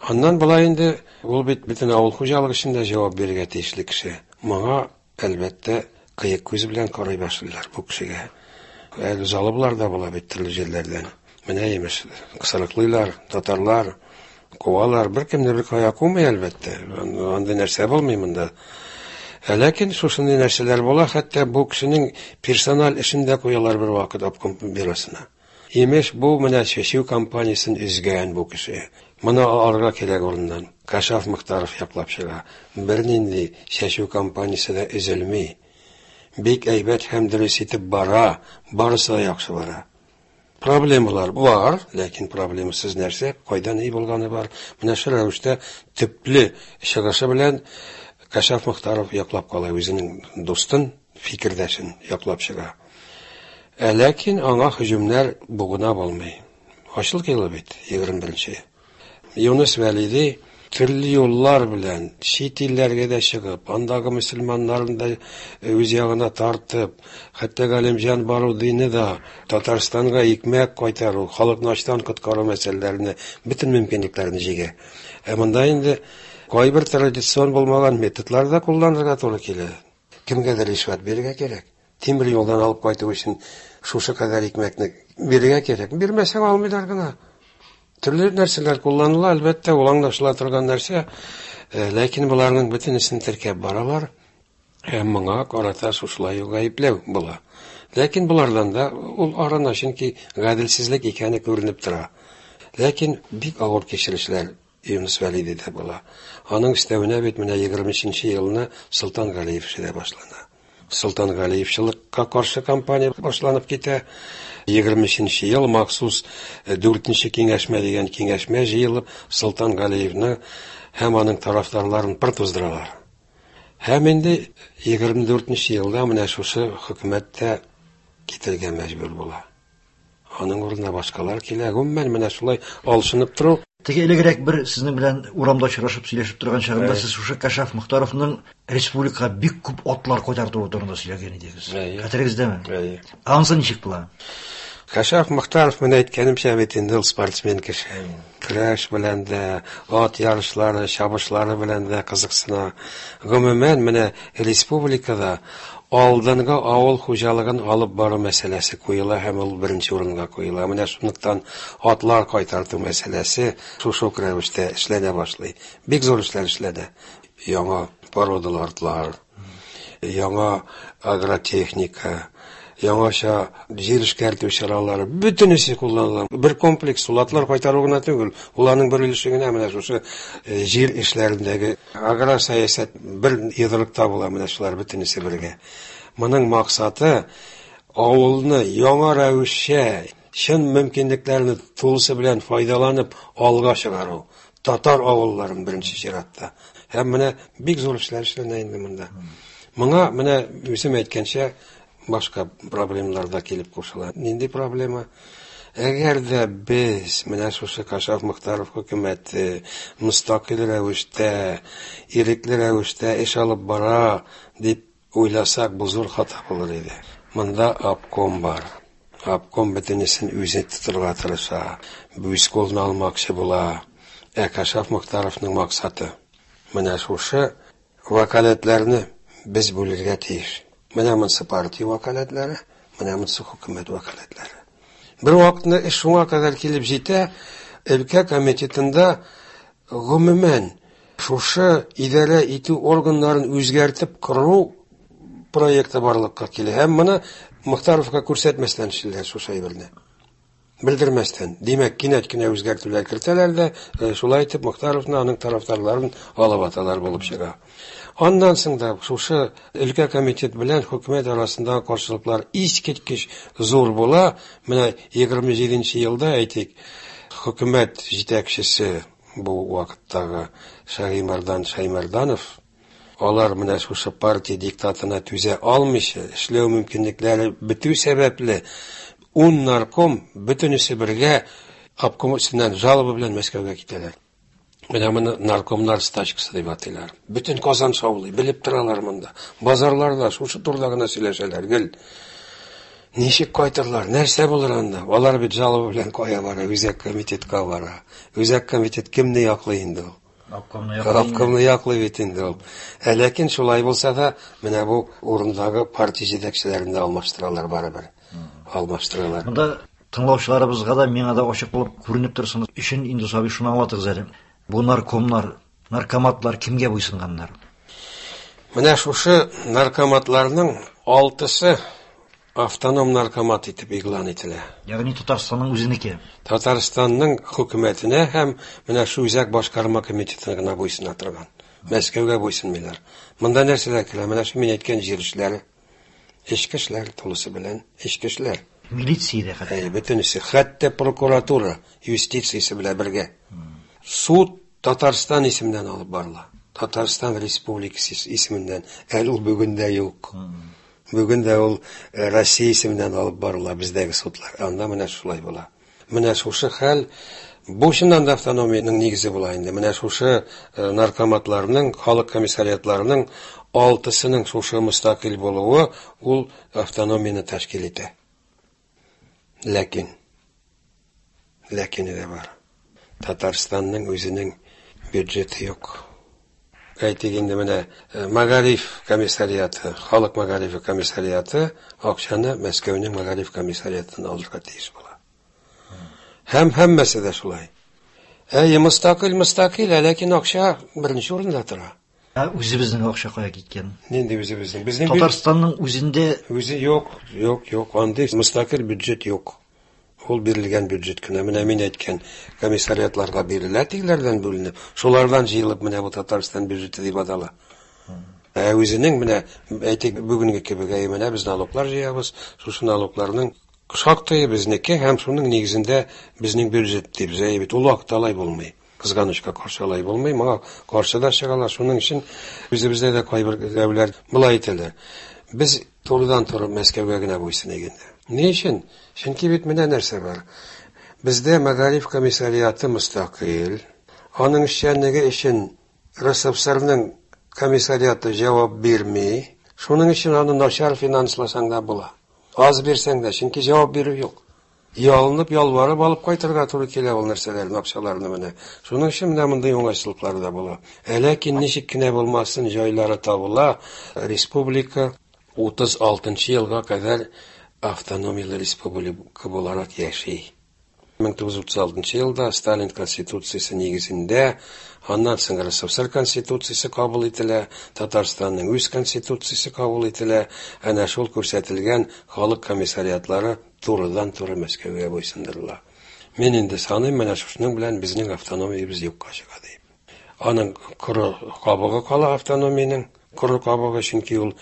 Аннан болай инде ул бит бөтен авыл хуҗалыгы өчен дә җавап бирергә тиешле кеше. Моңа, әлбәттә, кыек күз белән карый башлыйлар бу кешегә. Әле жалобалар да була бит төрле җирләрдән. Менә имеш, кысрыклыйлар, татарлар, куалар. Беркемне бер кая кумый, әлбәттә. Андый нәрсә булмый монда. Ә ләкин шушындый нәрсәләр була, хәтта бу кешенең персональ эшен дә куялар бер вакыт обком бюросына. Имеш, бу менә чәчү кампаниясен өзгән бу кеше. Моны алырга кирәк урыннан. Кашаф Мохтаров яклап чыга. Бернинди чәчү кампаниясе дә өзелми. Бик әйбәт һәм дөрес итеп бара, барысы да яхшы бара. Проблемалар бар, ләкин проблемасыз нәрсә, кайдан ни булганы бар. Менә шул рәвештә төпле чыгышы белән Кашаф Мохтаров яклап кала үзенең дустын, фикердәшен яклап чыга. Ә ләкин аңа һөҗүмнәр бугына булмый. Ачлык елы бит, 21-нче. Юныс Вәлиди төрле юллар белән чит илләргә дә чыгып, андагы мөселманнарны да үз ягына тартып, хәтта Галимҗан Барудины да Татарстанга икмәк кайтару, халыкны ачтан коткару мәсьәләләренә бөтен мөмкинлекләрне җигә. Ә монда инде кайбер традицион булмаган методлар да кулланырга туры килә. Кемгәдер ришвәт бирергә кирәк. Тимер юлдан алып кайту өчен шушы кадәр икмәкне бирергә кирәк. Бирмәсәң алмыйлар гына. Төрле нәрсәләр кулланыла, әлбәттә, ул аңлашыла торган нәрсә. Ләкин боларның бөтенесен теркәп баралар. Һәм моңа карата шушылай ук гаепләү була. Ләкин болардан да ул арына, чөнки гаделсезлек икәне күренеп тора. Ләкин бик авыр кичерешләр Юныс Вәлиди дә була. Аның өстәвенә бит менә 23 елны Солтан Галиев эше дә башлана. Солтан Галиевчылыкка каршы кампания башланып китә. 23 ел махсус 4нче киңәшмә дигән киңәшмә җыелып, Солтан Галиевны һәм аның тарафдарларын пыр туздыралар. Һәм инде 24 елда менә шушы хөкүмәт тә китергә мәҗбүр була. Аның урынына башкалар килә. Гомумән, менә шулай алшынып тору. Теге элегрәк бер сезнең белән урамда очрашып сөйләшеп торган чагында сез шушы Кашаф Мохтаровның республикага бик күп атлар кайтартуы турында сөйләгән идегез. Хәтерегездәме? Әйе. Анысы ничек була? Кашаф Мохтаров, менә әйткәнемчә бит инде ул спортсмен кеше. Көрәш белән дә, ат ярышлары, чабышлары белән дә кызыксына. Гомумән, менә республикада алдынгы авыл хуҗалыгын алып бару мәсьәләсе куела һәм ул беренче урынга куела. Менә шунлыктан атлар кайтарту мәсьәләсе шушы ук рәвештә эшләнә башлый. Бик зур эшләр эшләнә. Яңа породалы атлар, яңа агротехника, яңача җир эшкәртү чаралары, бөтенесе кулланыла. Бер комплекс, ул атлар кайтару гына түгел, ул аның бер өлеше генә, менә шушы җир эшләрендәге аграр сәясәт бер йодрыкта була, менә шулар бөтенесе бергә. Моның максаты авылны яңа рәвешчә, чын мөмкинлекләрне тулысы белән файдаланып алга чыгару. Татар авылларын беренче чиратта. Һәм менә бик зур эшләр эшләнә инде монда. Моңа менә үзем әйткәнчә башка проблемалар да килеп кушыла. Нинди проблема? Әгәр дә без менә шушы Кашаф Мохтаров хөкүмәте мөстәкыйль рәвештә, ирекле рәвештә эш алып бара дип уйласак, бу зур хата булыр иде. Монда обком бар. Обком бөтенесен үзе тотырга тырыша, үз кулына алмакчы була. Ә Кашаф Мохтаровның максаты менә шушы вәкаләтләрне без бүлергә тиеш. Менә монысы партия вәкаләтләре, менә монысы хөкүмәт вәкаләтләре. Бер вакытны эш шуңа кадәр килеп җитә, өлкә комитетында гомумән шушы идарә итү органнарын үзгәртеп кору проекты барлыкка килә. Һәм моны Мохтаровка күрсәтмәстән эшлиләр шушы әйберне. Белдермәстән. Димәк, кинәт кенә үзгәртүләр кертәләр дә, шулай итеп Мохтаровны, аның тарафдарларын алып аталар булып чыга. Аннан соң да шушы өлкә комитет белән хөкүмәт арасындагы каршылыклар искиткеч зур була. Менә 27 елда әйтик, хөкүмәт җитәкчесе бу вакыттагы Шагыймәрдан Шаймәрданов, алар менә шушы партия диктатына түзә алмыйча, эшләү мөмкинлекләре бетү сәбәпле, 10 нарком бөтенесе бергә обком өстеннән жалоба белән Мәскәүгә китәләр. Менә моны наркомнар стачкасы дип атыйлар. Бөтен Казан шаулый, белеп торалар монда. Базарларда шушы турыда гына сөйләшәләр гел. Ничек кайтырлар, нәрсә булыр анда? Алар бит жалоба белән кая бара? Үзәк комитетка бара. Үзәк комитет кемне яклый инде ул? Обкомны яклый. Обкомны яклый бит инде ул. Ә ләкин шулай булса да, менә бу урындагы партия җитәкчеләрен дә алмаштыралар барыбер. Алмаштыралар. Монда тыңлаучыларыбызга да, миңа да ачык булып күренеп торсын өчен инде Сабир шуны аңлатыгыз әле. Бу наркомнар, наркоматлар кемгә буйсынганнар? Менә шушы наркоматларның 6-сы автоном наркомат итеп игълан ителә. Ягъни Татарстанның үзенеке. Татарстанның хөкүмәтенә һәм менә шу үзәк башкарма комитетына гына буйсына торган. Мәскәүгә буйсынмыйлар. Монда нәрсәләр керә? Менә шу мин әйткән җир эшләре. Эчке эшләр тулысы белән эчке эшләр. Милиция дә хәтта. Әйе, бөтенесе, хәтта прокуратура, юстициясе белән бергә. Суд Татарстан исеменнән алып барыла. Татарстан Республикасы исеменнән. Әле ул бүген дә юк. Бүген дә ул Россия исеменнән алып барыла бездәге судлар. Анда менә шулай була. Менә шушы хәл бу чыннан да автономиянең нигезе була инде. Менә шушы наркоматларның, халык комиссариатларының 6-сының шушы мөстәкыйль булуы ул автономияне тәшкил итә. Ләкин, ләкине дә бар. Татарстанның үзенең бюджеты юк. Әйтик инде менә мәгариф комиссариаты, халык мәгарифе комиссариаты акчаны Мәскәүнең мәгариф комиссариатыннан алырга тиеш була. Һәм һәммәсе дә шулай. Әйе, мөстәкыйль, мөстәкыйль, ләкин акча беренче урында тора. Ә үзебезнең акча кая киткән? Нинди үзебезнең? Безнең Татарстанның үзендә үзе юк, юк, юк, андый мөстәкыйль бюджет юк. Ул бирелгән бюджет кенә. Менә мин әйткән комиссариатларга бирелә, тегеләрдән бүленеп, шулардан җыелып менә бу Татарстан бюджеты дип атала. Ә үзенең менә әйтик бүгенге кебек, әйе, менә без налоглар җыябыз, шушы налогларның шактые безнеке һәм шуның нигезендә безнең бюджет дип, әйе бит, ул вакытта алай булмый. Кызганычка каршы алай булмый, моңа каршы да чыгалар. Шуның өчен үзебездә дә кайбер берәүләр болай әйтәләр. Без турыдан-туры Мәскәүгә генә буйсыныйк инде. Ни өчен? Чөнки бит менә нәрсә бар. Бездә мәгариф комиссариаты мөстәкыйль. Аның эшчәнлеге өчен РСФСРның комиссариаты җавап бирми. Шуның өчен аны начар финансласаң да була. Аз бирсәң дә, чөнки җавап бирү юк. Ялынып, ялварып алып кайтырга туры килә ул нәрсәләрне, акчаларны менә. Шуның өчен менә мондый уңайсызлыклар да була. Ә ләкин ничек кенә булмасын, җайлары табыла. Республика 36 елга кадәр автономияле республика буларак яши. 1936 елда Сталин конституциясе нигезендә, аннан соң РСФСР конституциясе кабул ителә, Татарстанның үз конституциясе кабул ителә, әнә шул күрсәтелгән халык комиссариатлары турыдан-туры Мәскәүгә буйсындырыла. Мин инде саныйм, менә шушының белән безнең автономиябез юкка чыга дип. Аның коры кабыгы кала автономиянең, коры кабыгы, чөнки ул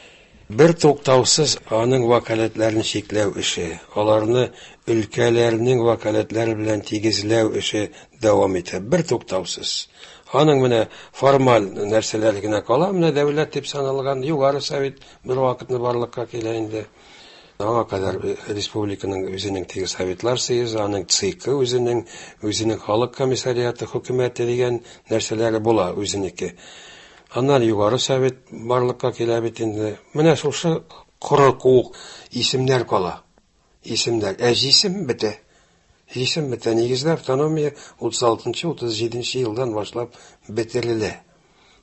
бер туктаусыз аның вәкаләтләрен чикләү эше, аларны өлкәләрнең вәкаләтләре белән тигезләү эше дәвам итә, бер туктаусыз. Аның менә формаль нәрсәләр генә кала, менә дәүләт дип саналган Югары Совет бер вакытны барлыкка килә инде. Аңа кадәр республиканың үзенең теге Советлар Союзы, аның ЦИКы үзенең, үзенең халык комиссариаты, хөкүмәте дигән нәрсәләре була үзенеке. Аннан Югары Совет барлыкка килә бит инде. Менә шушы коры куык исемнәр кала. Исемнәр. Ә җисем бетә. Җисем бетә. Нигездә автономия утыз алтынчы, утыз җиденче елдан башлап бетерелә.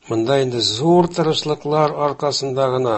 Монда инде зур тырышлыклар аркасында гына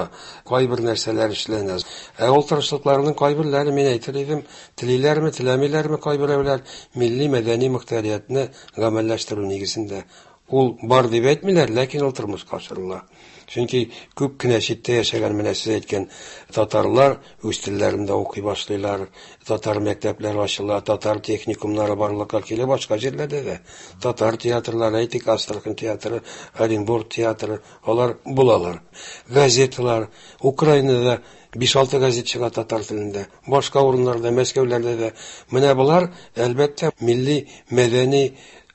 кайбер нәрсәләр эшләнә. Ә ул тырышлыкларның кайберләре, мин әйтер идем, телиләрме, теләмиләрме кайберәүләр милли мәдәни мөхтәриятне гамәлләштерү нигезендә. Ул бар дип әйтмиләр, ләкин ул тормышка ашырыла. Чөнки күп кенә читтә яшәгән менә сез әйткән татарлар үз телләрендә укый башлыйлар, татар мәктәпләре ачыла, татар техникумнары барлыкка килә башка җирләрдә дә. Татар театрлары, әйтик, Астрахань театры, Оренбург театры, алар булалар. Газеталар, Украинада 5-6 газет чыга татар телендә, башка урыннарда, Мәскәүләрдә дә. Менә болар, әлбәттә, милли мәдәни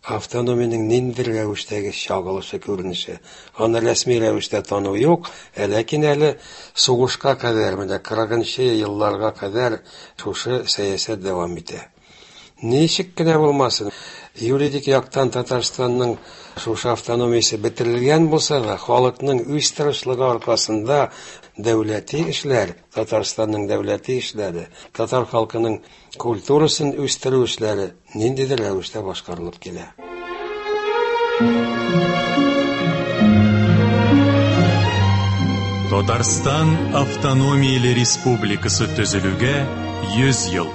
автономиянең ниндидер рәвештәге чагылышы күренеше. Аны рәсми рәвештә тану юк, ләкин әле сугышка кадәр, менә 40 елларга кадәр шушы сәясәт дәвам итә. Ничек кенә булмасын, юридик яктан Татарстанның шушы автономиясе бетерелгән булса да, халыкның үз тырышлыгы аркасында дәүләти эшләр, Татарстанның дәүләти эшләре, татар халкының культурасын үстерү эшләре ниндидер рәвештә башкарылып килә. Татарстан автономияле республикасы төзелүгә 100 ел.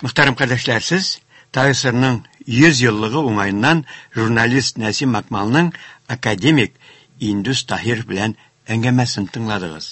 Мөхтәрәм кардәшләр, сез ТАССРның 100 еллыгы уңаеннан журналист Нәсим Акмалның академик Индус Таһир белән әңгәмәсен тыңладыгыз.